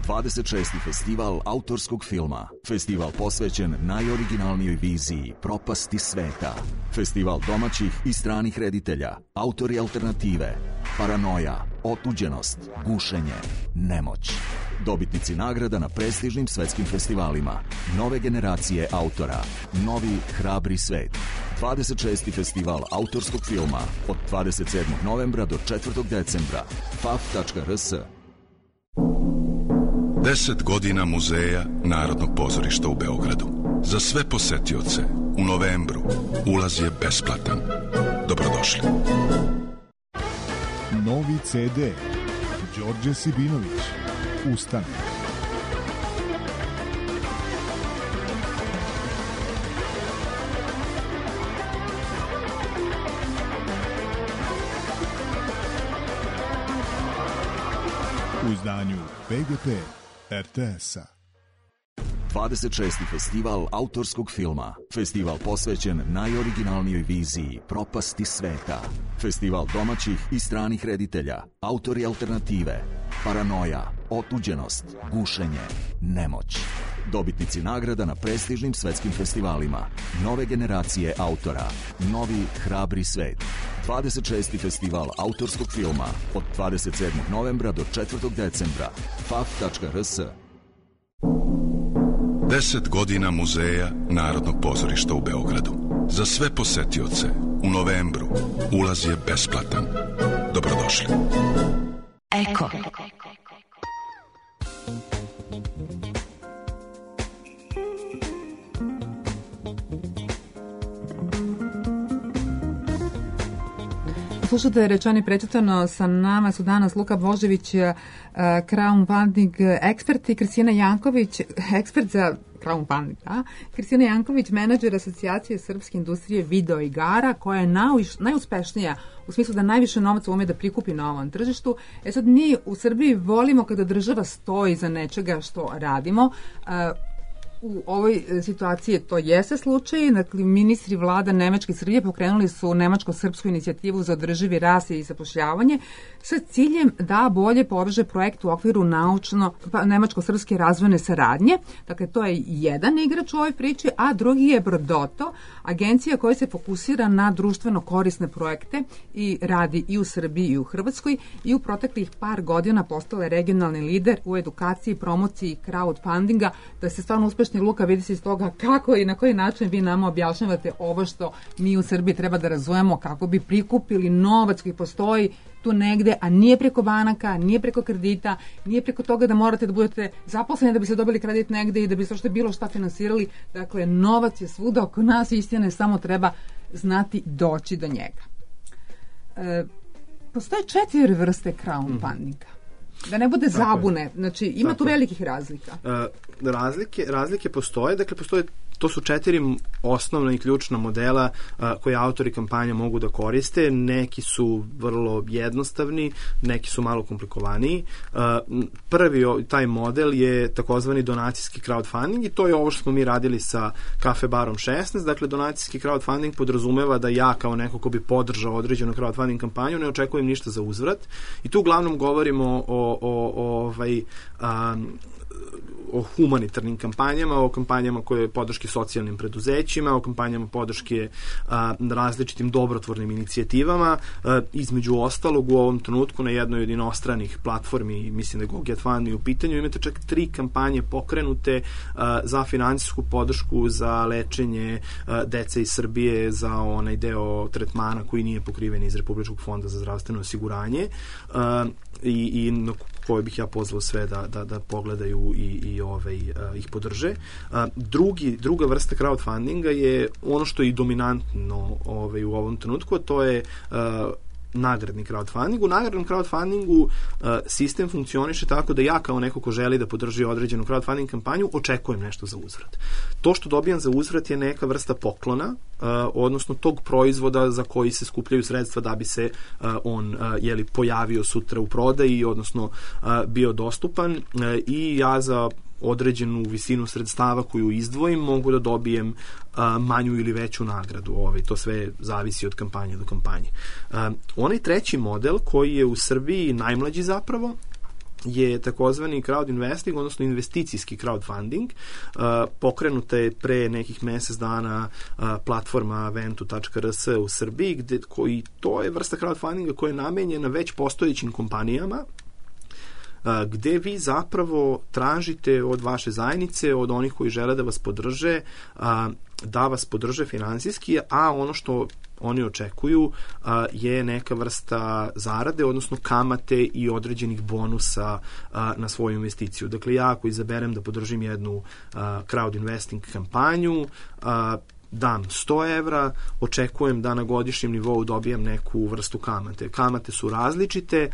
dvadeset šesti festival autorskog filma. Festival posvećen najoriginalnijoj viziji propasti sveta. Festival domaćih i stranih reditelja, autori alternative, paranoja, otuđenost, gušenje, nemoć. Dobitnici nagrada na prestižnim svetskim festivalima. Nove generacije autora. Novi hrabri svet. dvadeset šesti festival autorskog filma od dvadeset sedmog novembra do četvrtog decembra. f a f tačka r s. Deset godina Muzeja Narodnog pozorišta u Beogradu. Za sve posetioce u novembru ulaz je besplatan. Dobrodošli. Novi ce de. Đorđe Sibinović. Ustane. U izdanju be ge pe er te es-a. dvadeset šesti festival autorskog filma. Festival posvećen najoriginalnijoj viziji propasti sveta. Festival domaćih i stranih reditelja, autori alternative, paranoja, otuđenost, gušenje, nemoć. Dobitnici nagrada na prestižnim svetskim festivalima. Nove generacije autora. Novi hrabri svet. dvadeset šesti festival autorskog filma od dvadeset sedmog novembra do četvrtog decembra. f a f tačka r s. Deset godina Muzeja Narodnog pozorišta u Beogradu. Za sve posetioce u novembru ulaz je besplatan. Dobrodošli. Eko. Slušate Rečani prečitano, sa nama su danas Luka Božević, Crown Funding ekspert i Kristina Janković, ekspert za Crown Funding, da? Kristina Janković, menadžer Asocijacije srpske industrije video igara, koja je najuš, najuspešnija u smislu da najviše novaca ume da prikupi na ovom tržištu. E sad, mi u Srbiji volimo kada država stoji za nečega što radimo. U ovoj situaciji to jeste slučaj. Dakle, ministri vlada Nemačke i Srbije pokrenuli su nemačko-srpsku inicijativu za održivi rast i zapošljavanje sa ciljem da bolje poveže projekt u okviru naučno pa, nemačko-srpske razvojne saradnje. Dakle, to je jedan igrač u ovoj priči, a drugi je Brodoto, agencija koja se fokusira na društveno korisne projekte i radi i u Srbiji i u Hrvatskoj i u proteklih par godina postala je regionalni lider u edukaciji, promociji crowdfundinga, da se stvarno uspešni. Luka, vidi se iz toga kako i na koji način vi nama objašnjavate ovo što mi u Srbiji treba da razumemo kako bi prikupili novac koji postoji tu negde, a nije preko banaka, nije preko kredita, nije preko toga da morate da budete zaposleni da bi se dobili kredit negde i da bi se što bilo šta finansirali. Dakle, novac je svuda oko nas, istina, samo treba znati doći do njega. E, postoje četiri vrste crowdfundinga. Da ne bude zabune, znači ima tu velikih razlika. Uh, razlike, razlike postoje, dakle postoje, to su četiri osnovna i ključna modela uh, koje autori kampanja mogu da koriste. Neki su vrlo jednostavni, neki su malo komplikovaniji. Uh, prvi taj model je takozvani donacijski crowdfunding i to je ovo što smo mi radili sa Kafe barom šesnaest. Dakle, donacijski crowdfunding podrazumeva da ja kao neko ko bi podržao određenu crowdfunding kampanju ne očekujem ništa za uzvrat i tu uglavnom govorimo o o, o, ovaj, um, o humanitarnim kampanjama, o kampanjama koje podrške socijalnim preduzećima, o kampanjama podrške a, različitim dobrotvornim inicijativama. A, između ostalog, u ovom trenutku na jednoj od inostranih platformi, mislim da je GoGetFund u pitanju, imate čak tri kampanje pokrenute a, za finansijsku podršku za lečenje a, dece iz Srbije za onaj deo tretmana koji nije pokriven iz Republičkog fonda za zdravstveno osiguranje. A, i, i koje bih ja pozvao sve da, da, da pogledaju i, i ovaj, ih podrže. Drugi, druga vrsta crowdfundinga je ono što je i dominantno ovaj, u ovom trenutku, to je nagradni crowdfunding. U nagradnom crowdfundingu uh, sistem funkcioniše tako da ja kao neko ko želi da podrži određenu crowdfunding kampanju očekujem nešto za uzvrat. To što dobijam za uzvrat je neka vrsta poklona, uh, odnosno tog proizvoda za koji se skupljaju sredstva da bi se uh, on uh, jeli, pojavio sutra u prodaji, odnosno uh, bio dostupan uh, i ja za određenu visinu sredstava koju izdvojim mogu da dobijem a, manju ili veću nagradu. Ovaj, to sve zavisi od kampanje do kampanje. A, onaj treći model koji je u Srbiji najmlađi zapravo je takozvani crowd investing, odnosno investicijski crowdfunding. Uh, pokrenuta je pre nekih mesec dana uh, platforma ventu tačka r s u Srbiji, gde, koji, to je vrsta crowdfundinga koja je namenjena već postojećim kompanijama, gde vi zapravo tražite od vaše zajednice, od onih koji žele da vas podrže, da vas podrže finansijski, a ono što oni očekuju je neka vrsta zarade, odnosno kamate i određenih bonusa na svoju investiciju. Dakle, ja ako izaberem da podržim jednu crowd investing kampanju, dam sto evra, očekujem da na godišnjem nivou dobijam neku vrstu kamate. Kamate su različite.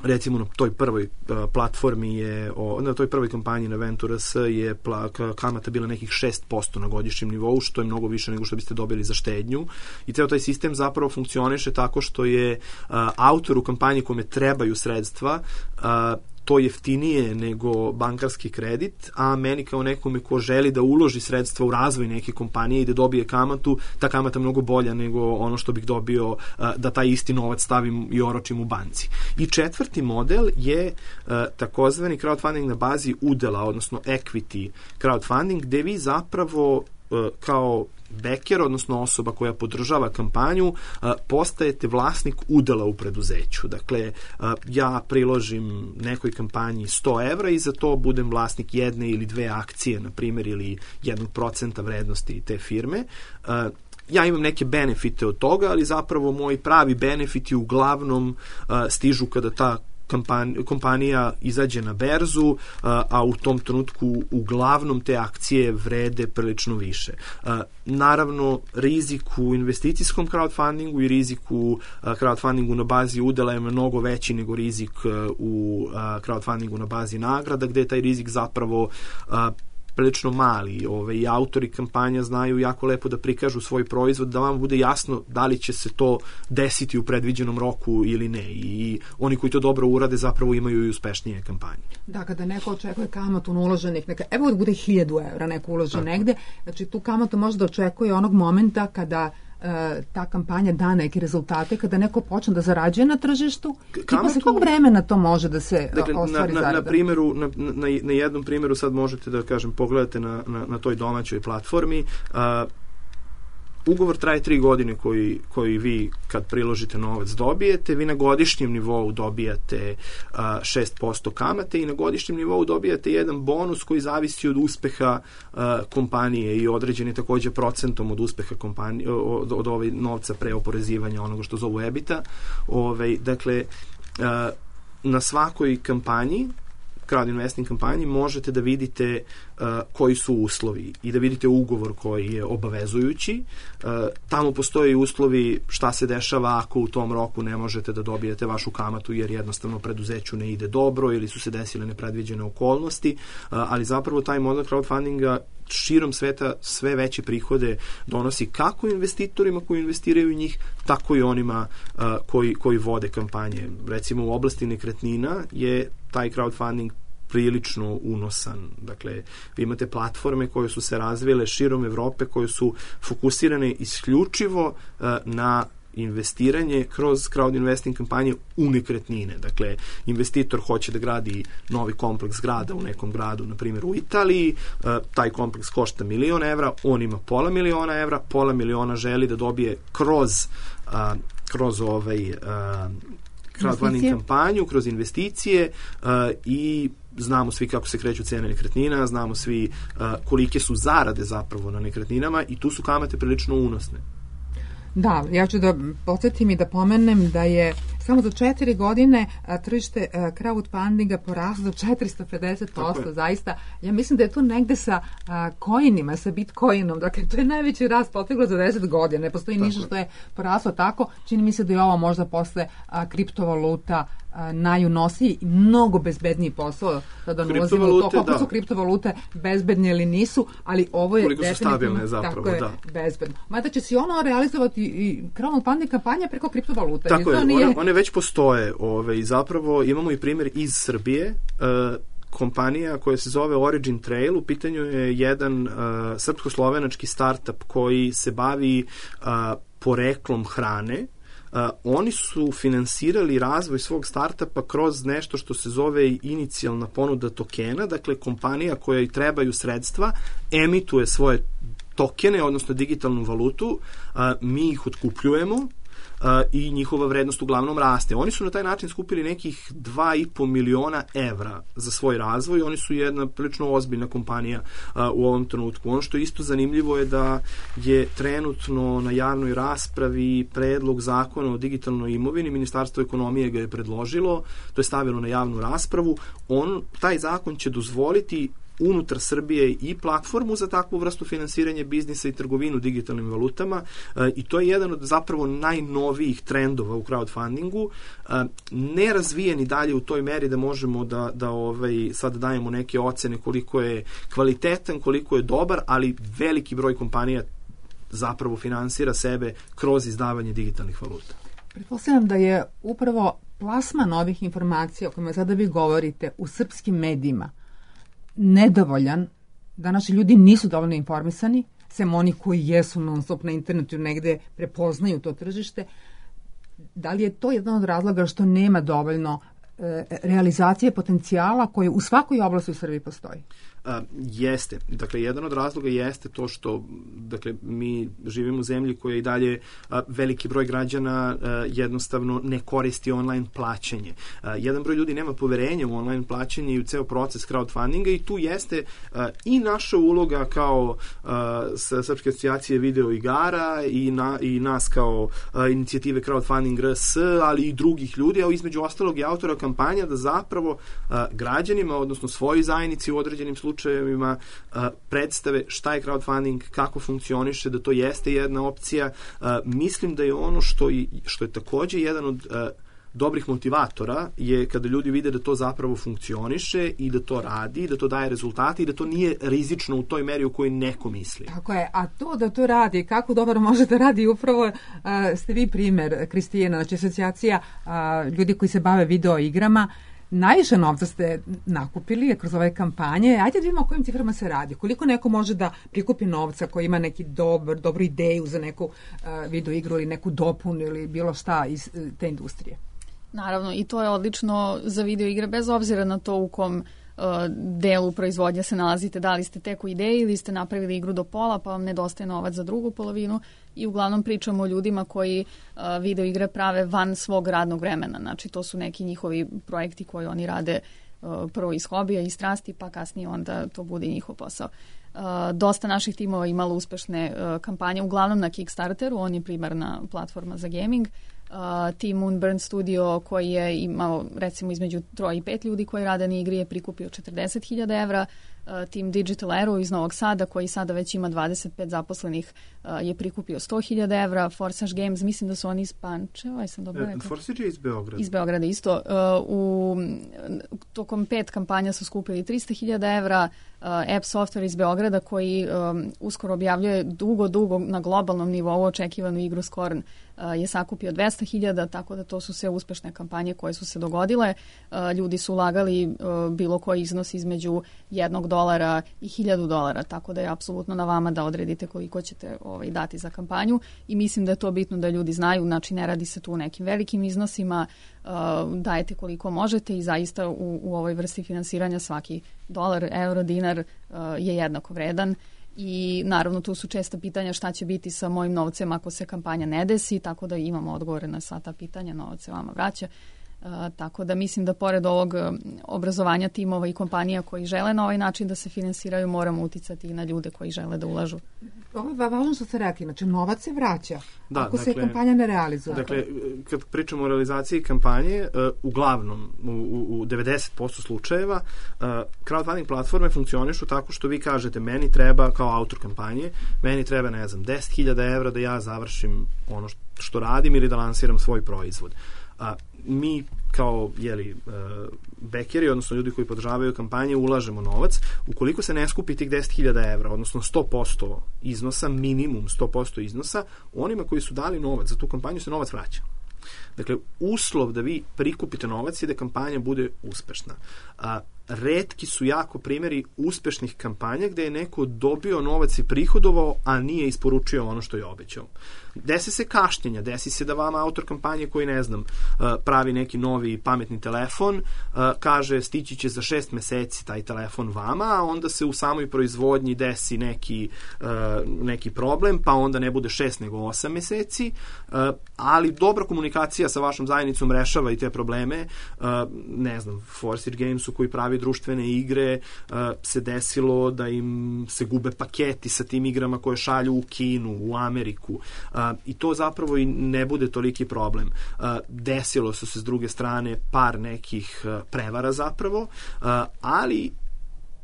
Recimo na toj prvoj uh, platformi je, o, na toj prvoj kampanji na Ventura S je pla, kamata bila nekih šest posto na godišnjem nivou, što je mnogo više nego što biste dobili za štednju. I ceo taj sistem zapravo funkcioniše tako što je uh, autoru kampanje kome trebaju sredstva uh, to jeftinije nego bankarski kredit, a meni kao nekome ko želi da uloži sredstva u razvoj neke kompanije i da dobije kamatu, ta kamata je mnogo bolja nego ono što bih dobio da taj isti novac stavim i oročim u banci. I četvrti model je takozvani crowdfunding na bazi udela, odnosno equity crowdfunding, gde vi zapravo kao beker, odnosno osoba koja podržava kampanju, postajete vlasnik udela u preduzeću. Dakle, ja priložim nekoj kampanji sto evra i za to budem vlasnik jedne ili dve akcije, na primjer, ili jednog procenta vrednosti te firme. Ja imam neke benefite od toga, ali zapravo moji pravi benefiti uglavnom stižu kada ta kompanija izađe na berzu, a u tom trenutku uglavnom te akcije vrede prilično više. Naravno, rizik u investicijskom crowdfundingu i rizik u crowdfundingu na bazi udela je mnogo veći nego rizik u crowdfundingu na bazi nagrada, gde je taj rizik zapravo prilično mali. Ove, i autori kampanja znaju jako lepo da prikažu svoj proizvod, da vam bude jasno da li će se to desiti u predviđenom roku ili ne. I oni koji to dobro urade zapravo imaju i uspešnije kampanje. Da, kada neko očekuje kamatu na uloženih, neka, evo da bude hiljadu evra neko uloži Tako. negde, znači tu kamatu može da očekuje onog momenta kada ta kampanja da neke rezultate, kada neko počne da zarađuje na tržištu, kamatu, i posle kog vremena to može da se dakle, ostvari na, na, zarada? Na, primjeru, na, na, na jednom primjeru sad možete da kažem, pogledate na, na, na toj domaćoj platformi. Uh, ugovor traje tri godine koji, koji vi kad priložite novac dobijete, vi na godišnjem nivou dobijate uh, šest posto kamate i na godišnjem nivou dobijate jedan bonus koji zavisi od uspeha uh, kompanije i određen je takođe procentom od uspeha kompanije, od, od ovaj novca pre oporezivanja onoga što zovu ebita. Ove, dakle, uh, na svakoj kampanji, crowd investing kampanji, možete da vidite uh, koji su uslovi i da vidite ugovor koji je obavezujući. Uh, tamo postoje uslovi šta se dešava ako u tom roku ne možete da dobijete vašu kamatu jer jednostavno preduzeću ne ide dobro ili su se desile nepredviđene okolnosti, uh, ali zapravo taj model crowdfundinga širom sveta sve veće prihode donosi kako investitorima koji investiraju u njih, tako i onima uh, koji, koji vode kampanje. Recimo u oblasti nekretnina je taj crowdfunding prilično unosan. Dakle, vi imate platforme koje su se razvile širom Evrope, koje su fokusirane isključivo uh, na investiranje kroz crowd investing kampanje u nekretnine. Dakle, investitor hoće da gradi novi kompleks zgrada u nekom gradu, na primjer u Italiji, uh, taj kompleks košta milion evra, on ima pola miliona evra, pola miliona želi da dobije kroz uh, kroz ovaj uh, crowdfunding kampanju, kroz investicije uh, i znamo svi kako se kreću cene nekretnina, znamo svi uh, kolike su zarade zapravo na nekretninama i tu su kamate prilično unosne. Da, ja ću da podsjetim i da pomenem da je samo za četiri godine a, tržište a, crowdfundinga poraslo do četiristo pedeset posto, zaista. Ja mislim da je to negde sa a, coinima, sa bitcoinom, dakle to je najveći rast poteglo za deset godina, ne postoji ništa što je poraslo tako, čini mi se da je ovo možda posle a, kriptovaluta a, najunosiji i mnogo bezbedniji posao, da ne ulazimo u to koliko da. su kriptovalute bezbedne ili nisu, ali ovo je koliko definitivno stabilne zapravo, tako je, da. bezbedno. Mada će se ono realizovati i crowdfunding kampanja preko kriptovaluta. Tako je, nije... one, one već postoje ove, i zapravo imamo i primjer iz Srbije, uh, kompanija koja se zove Origin Trail, u pitanju je jedan uh, srpsko-slovenački startup koji se bavi uh, poreklom hrane. Uh, oni su finansirali razvoj svog startupa kroz nešto što se zove inicijalna ponuda tokena, dakle kompanija koja i trebaju sredstva emituje svoje tokene, odnosno digitalnu valutu, uh, mi ih otkupljujemo uh, i njihova vrednost uglavnom raste. Oni su na taj način skupili nekih dva i po miliona evra za svoj razvoj. Oni su jedna prilično ozbiljna kompanija uh, u ovom trenutku. Ono što je isto zanimljivo je da je trenutno na javnoj raspravi predlog zakona o digitalnoj imovini. Ministarstvo ekonomije ga je predložilo, to je stavilo na javnu raspravu. On, taj zakon će dozvoliti unutar Srbije i platformu za takvu vrstu finansiranja biznisa i trgovinu digitalnim valutama e, i to je jedan od zapravo najnovijih trendova u crowdfundingu. E, nerazvijeni dalje u toj meri da možemo da, da ovaj, sad dajemo neke ocene koliko je kvalitetan, koliko je dobar, ali veliki broj kompanija zapravo finansira sebe kroz izdavanje digitalnih valuta. Pretpostavljam da je upravo plasma novih informacija o kojima sada vi govorite u srpskim medijima nedovoljan, da naši ljudi nisu dovoljno informisani, sem oni koji jesu non stop na internetu negde prepoznaju to tržište. Da li je to jedan od razloga što nema dovoljno e, realizacije potencijala koje u svakoj oblasti u Srbiji postoji? Uh, jeste. Dakle, jedan od razloga jeste to što dakle, mi živimo u zemlji koja i dalje uh, veliki broj građana uh, jednostavno ne koristi online plaćanje. Uh, jedan broj ljudi nema poverenja u online plaćanje i u ceo proces crowdfundinga i tu jeste uh, i naša uloga kao uh, Srpske asocijacije video igara i, na, i nas kao uh, inicijative Crowdfunding R S, ali i drugih ljudi, a između ostalog i autora kampanja da zapravo uh, građanima, odnosno svojoj zajednici u određenim slučajevima slučajevima uh, predstave šta je crowdfunding, kako funkcioniše, da to jeste jedna opcija. Uh, mislim da je ono što, i, što je takođe jedan od uh, dobrih motivatora je kada ljudi vide da to zapravo funkcioniše i da to radi, da to daje rezultate i da to nije rizično u toj meri u kojoj neko misli. Tako je, a to da to radi, kako dobro može da radi, upravo uh, ste vi primer, Kristijana, znači asocijacija uh, ljudi koji se bave video igrama. Najviše novca ste nakupili kroz ove kampanje. Ajde da vidimo o kojim ciframa se radi. Koliko neko može da prikupi novca koji ima neki dobar, dobru ideju za neku uh, video igru ili neku dopunu ili bilo šta iz uh, te industrije? Naravno, i to je odlično za video igre, bez obzira na to u kom uh, delu proizvodnja se nalazite, da li ste tek u ideji ili ste napravili igru do pola pa vam nedostaje novac za drugu polovinu. I uglavnom pričamo o ljudima koji uh, video igre prave van svog radnog vremena. Znači to su neki njihovi projekti koji oni rade uh, prvo iz hobija i strasti, pa kasnije onda to bude njihov posao. Uh, dosta naših timova imalo uspešne uh, kampanje, uglavnom na Kickstarteru, on je primarna platforma za gaming. Uh, Team Moonburn Studio koji je imao recimo između troje i pet ljudi koji rade na igri je prikupio četrdeset hiljada evra. Uh, Team Digital Arrow iz Novog Sada koji sada već ima dvadeset pet zaposlenih uh, je prikupio sto hiljada evra. Forsage Games, mislim da su oni iz Pančeva, aj sam dobro rekla. Forsage je iz Beograda. Iz Beograda isto. Uh, u, tokom pet kampanja su skupili tristo hiljada evra. Uh, App Software iz Beograda koji um, uskoro objavljuje dugo, dugo na globalnom nivou očekivanu igru Scorn uh, je sakupio dvesta hiljada, tako da to su sve uspešne kampanje koje su se dogodile. Uh, ljudi su ulagali uh, bilo koji iznos između jednog dolara i hiljadu dolara, tako da je apsolutno na vama da odredite koliko ćete ovaj, dati za kampanju i mislim da je to bitno da ljudi znaju, znači ne radi se tu u nekim velikim iznosima, uh, dajete koliko možete i zaista u, u ovoj vrsti finansiranja svaki dolar, euro, dinar uh, je jednako vredan. I naravno tu su česta pitanja šta će biti sa mojim novcem ako se kampanja ne desi, tako da imamo odgovore na sva ta pitanja, novac se vama vraća. tako da mislim da pored ovog obrazovanja timova i kompanija koji žele na ovaj način da se finansiraju, moramo uticati i na ljude koji žele da ulažu. Ovo je važno što ste rekli, znači novac se vraća da, ako dakle, se kampanja ne realizuje. Dakle, kad pričamo o realizaciji kampanje, uh, uglavnom, u, u devedeset posto slučajeva, uh, crowdfunding platforme funkcionišu tako što vi kažete, meni treba, kao autor kampanje, meni treba, ne znam, deset hiljada evra da ja završim ono što, što radim ili da lansiram svoj proizvod. A mi kao jeli, uh, bekeri, odnosno ljudi koji podržavaju kampanje, ulažemo novac. Ukoliko se ne skupi tih deset hiljada evra, odnosno sto posto iznosa, minimum sto posto iznosa, onima koji su dali novac za tu kampanju se novac vraća. Dakle, uslov da vi prikupite novac je da kampanja bude uspešna. A, retki su jako primjeri uspešnih kampanja gde je neko dobio novac i prihodovao, a nije isporučio ono što je obećao. Desi se kašnjenja, desi se da vama autor kampanje koji, ne znam, pravi neki novi pametni telefon, kaže stići će za šest meseci taj telefon vama, a onda se u samoj proizvodnji desi neki, neki problem, pa onda ne bude šest nego osam meseci, ali dobra komunikacija sa vašom zajednicom rešava i te probleme. Ne znam, Forsyth Gamesu koji pravi društvene igre se desilo da im se gube paketi sa tim igrama koje šalju u Kinu, u Ameriku, i to zapravo i ne bude toliki problem. Desilo su se s druge strane par nekih prevara zapravo, ali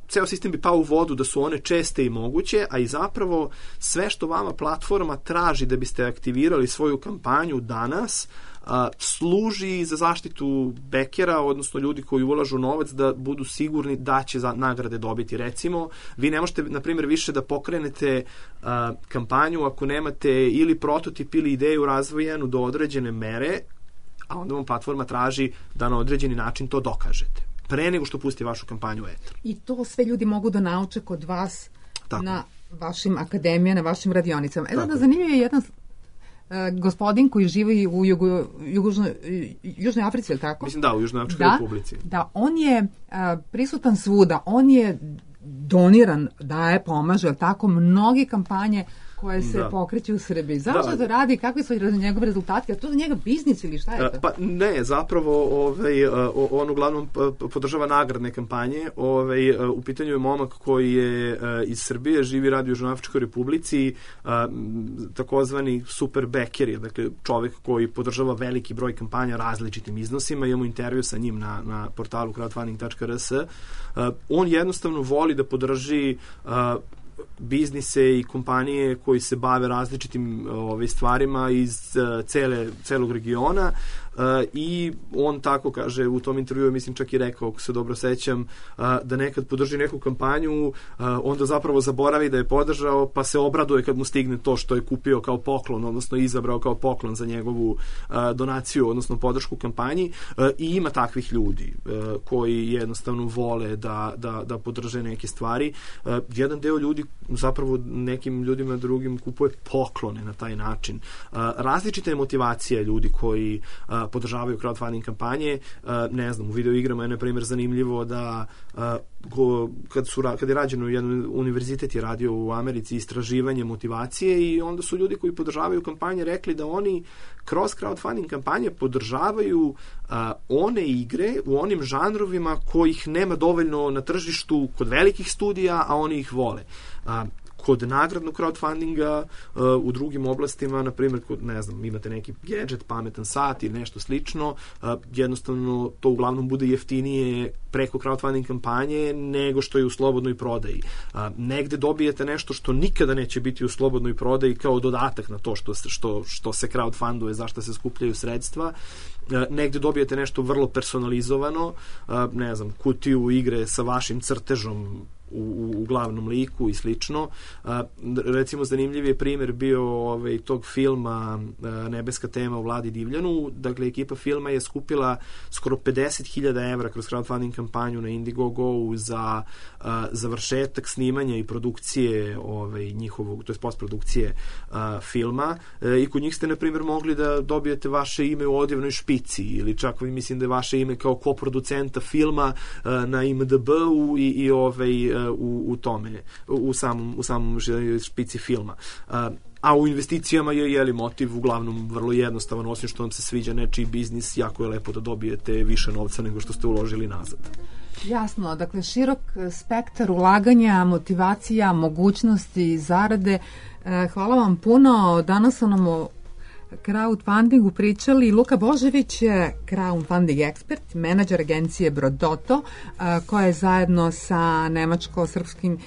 ceo sistem bi pao u vodu da su one česte i moguće, a i zapravo sve što vama platforma traži da biste aktivirali svoju kampanju danas, a, služi za zaštitu bekera, odnosno ljudi koji ulažu novac, da budu sigurni da će za nagrade dobiti. Recimo, vi ne možete, na primjer, više da pokrenete a, kampanju ako nemate ili prototip ili ideju razvojenu do određene mere, a onda vam platforma traži da na određeni način to dokažete pre nego što pusti vašu kampanju u etar. I to sve ljudi mogu da nauče kod vas Tako. Na vašim akademijama, na vašim radionicama. E da, zanimljiv je jedan uh, gospodin koji živi u Jugo, Jugožnoj, Južnoj Africi, je li tako? Mislim da, u Južnoj Afričkoj da, republici. Da, on je uh, prisutan svuda, on je doniran, daje, pomaže, je li tako, mnogi kampanje koje se da. pokreću u Srbiji. Zašto to radi? Kakvi su njegove rezultati? A to za njega biznis ili šta je to? Pa ne, zapravo ovaj, on uglavnom podržava nagradne kampanje. Ovaj, u pitanju je momak koji je iz Srbije, živi, radi u Južnoafričkoj republici, takozvani super bekeri, dakle čovek koji podržava veliki broj kampanja različitim iznosima. Imamo intervju sa njim na, na portalu crowdfunding tačka r s. On jednostavno voli da podrži biznise i kompanije koji se bave različitim ove, stvarima iz uh, cele, celog regiona uh, i on tako kaže u tom intervjuu, mislim čak i rekao, ako se dobro sećam, uh, da nekad podrži neku kampanju, uh, onda zapravo zaboravi da je podržao, pa se obraduje kad mu stigne to što je kupio kao poklon, odnosno izabrao kao poklon za njegovu uh, donaciju, odnosno podršku kampanji, uh, i ima takvih ljudi uh, koji jednostavno vole da, da, da podrže neke stvari. Uh, jedan deo ljudi zapravo nekim ljudima drugim kupuje poklone na taj način. Uh, različite motivacije ljudi koji uh, podržavaju crowdfunding kampanje. Uh, ne znam, u videoigrama je na primjer zanimljivo da uh, go, kad, su, kad je rađeno, jedan univerzitet je radio u Americi istraživanje motivacije i onda su ljudi koji podržavaju kampanje rekli da oni kroz crowdfunding kampanje podržavaju uh, one igre u onim žanrovima kojih nema dovoljno na tržištu kod velikih studija, a oni ih vole. Uh, kod nagradnog crowdfundinga uh, u drugim oblastima, na primjer, kod, ne znam, imate neki gadget, pametan sat ili nešto slično, uh, jednostavno to uglavnom bude jeftinije preko crowdfunding kampanje nego što je u slobodnoj prodaji. Uh, negde dobijete nešto što nikada neće biti u slobodnoj prodaji kao dodatak na to što se, što, što se crowdfunduje, zašto se skupljaju sredstva. Uh, negde dobijete nešto vrlo personalizovano, uh, ne znam, kutiju igre sa vašim crtežom U, u glavnom liku i slično. A, recimo, zanimljiv je primjer bio ovaj, tog filma a, Nebeska tema u Vladi Divljanu. Dakle, ekipa filma je skupila skoro pedeset hiljada evra kroz crowdfunding kampanju na Indiegogo za a, završetak snimanja i produkcije ovaj, njihovog, to je postprodukcije a, filma. E, I kod njih ste, na primjer, mogli da dobijete vaše ime u odjevnoj špici ili čak, mislim da je vaše ime kao koproducenta filma a, na I M D B-u i, i ovaj, u, u tome, u samom, u samom špici filma. A u investicijama je jeli motiv uglavnom vrlo jednostavan, osim što vam se sviđa nečiji biznis, jako je lepo da dobijete više novca nego što ste uložili nazad. Jasno, dakle širok spektar ulaganja, motivacija, mogućnosti, zarade. Hvala vam puno. Danas su nam o crowdfundingu pričali Luka Božević, crowdfunding ekspert, menadžer agencije Brodoto, koja je zajedno sa nemačko-srpskim,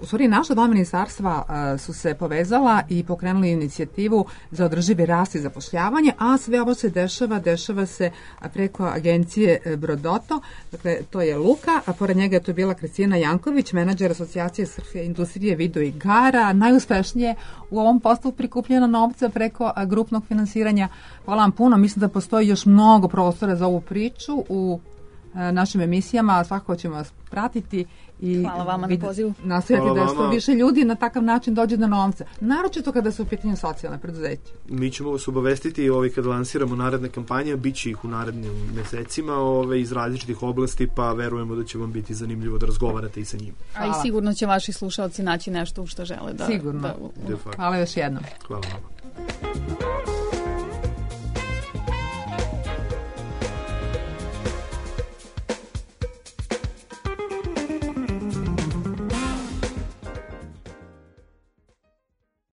u stvari naša dva ministarstva su se povezala i pokrenuli inicijativu za održivi rast i zapošljavanje, a sve ovo se dešava, dešava se preko agencije Brodoto. Dakle, to je Luka, a pored njega je to bila Kristina Janković, menadžer asocijacije srpske industrije video igara, najuspešnije u ovom poslu prikupljena novca preko grupnog finansiranja. Hvala vam puno, mislim da postoji još mnogo prostora za ovu priču u našim emisijama, svakako ćemo vas pratiti i hvala vama na pozivu. Nastojati da što više ljudi na takav način dođe do novca, naročito kada su u pitanju socijalne preduzeća. Mi ćemo vas obavestiti ovaj, kad lansiramo naredne kampanje, bit će ih u narednim mesecima ovaj, iz različitih oblasti, pa verujemo da će vam biti zanimljivo da razgovarate i sa njima. A i sigurno će vaši slušaoci naći nešto u što žele da... Sigurno. Da, Hvala još jednom. Hvala vama.